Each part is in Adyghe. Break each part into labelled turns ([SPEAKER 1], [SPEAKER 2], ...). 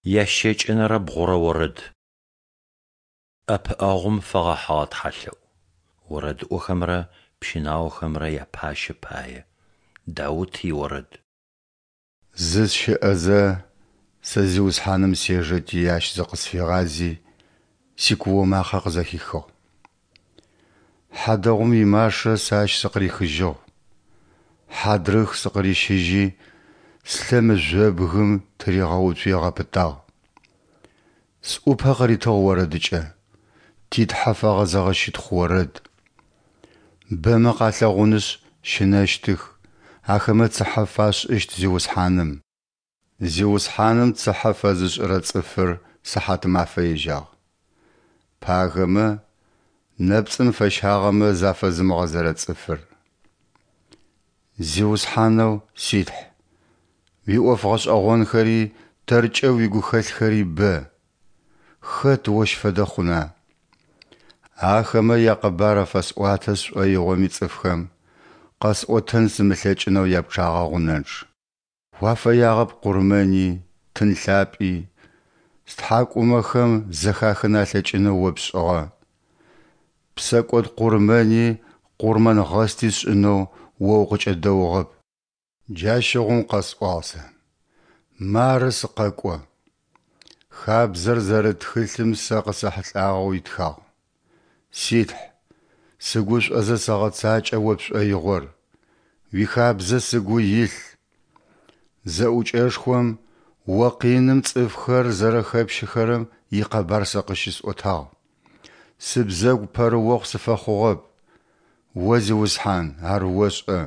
[SPEAKER 1] Ящэкӏэнэрэ бгъурэ орэд. ӏэпыӏэгъум фэгъэхьыгъэ тхьэлъэӏу. Орэдыӏохэмрэ пщынаохэмрэ япащэ пае. Даут иорэд.
[SPEAKER 2] Зысщыӏэзэ, сэ Зиусхьаным сежэти, Ащ зыкъысфигъази, сикуо макъэ къызэхихыгъ. Хьадэгъум имашэ сэ Ащ сыкъырихыжьыгъ. Хьадрых сыкъырищыжьи, слъэ мыжъобгым тыригъэуцуи ыгъэпытагъ. Сӏупэ къыритыгъ орэдыкӏэ, ти Тхьэ фэгъэзэгъэ щытхъу орэд. Бэмэ къалъэгъунышъ, щынэщтых, ахэмэ цыхьэ фашӏыщт Зиусхьаным. Зиусхьаным цыхьэ фэзышӏырэ цӏыфыр сыхьатымафэ ежьагъ. Пагэмэ, нэпцӏым фэщагъэмэ зафэзымыгъэзэрэ цӏыфыр. Зиусхьанэу си Тхь, уиӏоф гъэшӏэгъонхэри тэркӏэ уигухэлъхэри бэ. Хэт ощ фэдэ хъуна? Ахэмэ якъэбар афэсӏуатэ сшӏоигъоми цӏыфхэм, къэсӏотэн сымылъэкӏынэу япчъагъэ гъунэнчъ. Уафэягъэп къурмэни, тын лъапӏи, стхьакӏумэхэм зэхахын алъэкӏынэу О пшӏыгъэ. Псэкӏод къурмэни къурмэнгъэсти сшӏынэу О укъыкӏэдэугъэп. Джащыгъум къэсӏуагъ сэ: Мары сыкъэкӏо. Хабзэр зэрыт тхылъым сэ къысэхьылӏагъэу итхагъ. Си Тхь, сыгушӏозэ сэгъэцакӏэ О пшӏоигъор, уихабзэ сыгу илъ. Зэӏукӏэшхом О къиным цӏыфхэр зэрэхэпщыхэрэм икъэбар сэ къыщысӏотагъ. Сыбзэгу пэрыохъу сыфэхъугъэп, О, Зиусхьан, ар ошӏэ.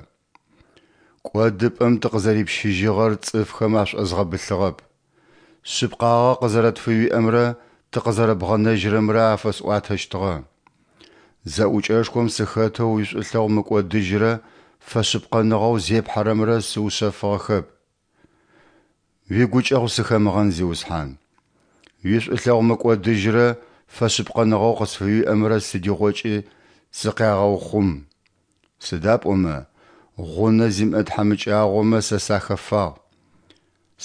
[SPEAKER 2] Кӏодыпӏэм тыкъызэрипщыжьыгъэр цӏыфхэм ашӏозгъэбылъыгъэп. Шъыпкъагъэ къызэрэтфыуиӏэмрэ тыкъызэрэбгъэнэжьырэмрэ афэсӏуатэщтыгъэ. Зэӏукӏэшхом сыхэтэу уишӏулъэгъу мыкӏодыжьрэ фэшъыпкъэныгъэу зепхьэрэмрэ сыушъэфыгъэхэп. Уигукӏэгъу сыхэмыгъэн, Зиусхьан. Уишӏулъэгъу мыкӏодыжьрэ фэшъыпкъэныгъэу къысфыуиӏэмрэ сыдигъокӏи сыкъягъэухъум. Сыда пӏомэ гъунэ зимыӏэ тхьамыкӏагъомэ сэ сахэфагъ.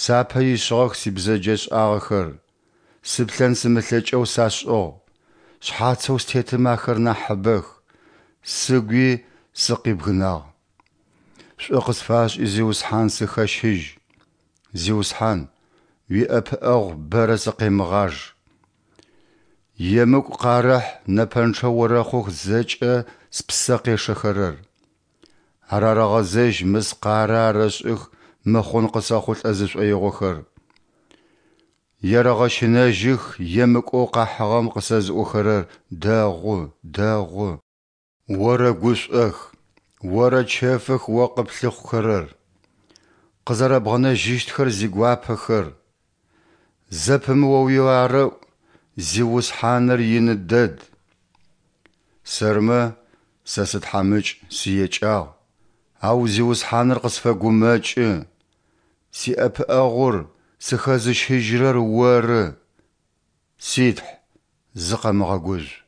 [SPEAKER 2] Сапэ ишъыгъэх сибзэджэшӏагъэхэр, сыплъэн сымылъэкӏэу сашӏыгъ, шъхьацэу стетым ахэр нахьыбэх, сыгуи сыкъибгынагъ. Шӏу къысфашӏи, Зиусхьан, сыхэщыжь. Зиусхьан, уиӏэпыӏэгъу бэрэ сыкъемыгъаж. Емыкӏу къарэхь, нэпэнчъэ орэхъух зэкӏэ спсэ къешэхэрэр. Арарэгъэзэжь мыскъарэ арэшӏых мыхъун къысэхъулӏэ зышӏоигъохэр. Ерэгъэщынэжьых емыкӏоу къахьыгъэм къысэзыӏохэрэр дэгъу, дэгъу. Орэгушӏох, орэчэфых О къыплъыхъухэрэр, къызэрэбгъэнэжьыщтхэр зигуапэхэр. Зэпымыоуи арэӏу, Зиусхьаныр ины дэд! Сэрмэ, сэ сытхьамыкӏ, сыекӏагъ, ау Зиусхьаныр къысфэгумэкӏы. Сиӏэпыӏэгъур, сыхэзыщыжьырэр Оры. Си Тхь, зыкъэмыгъэгужъу.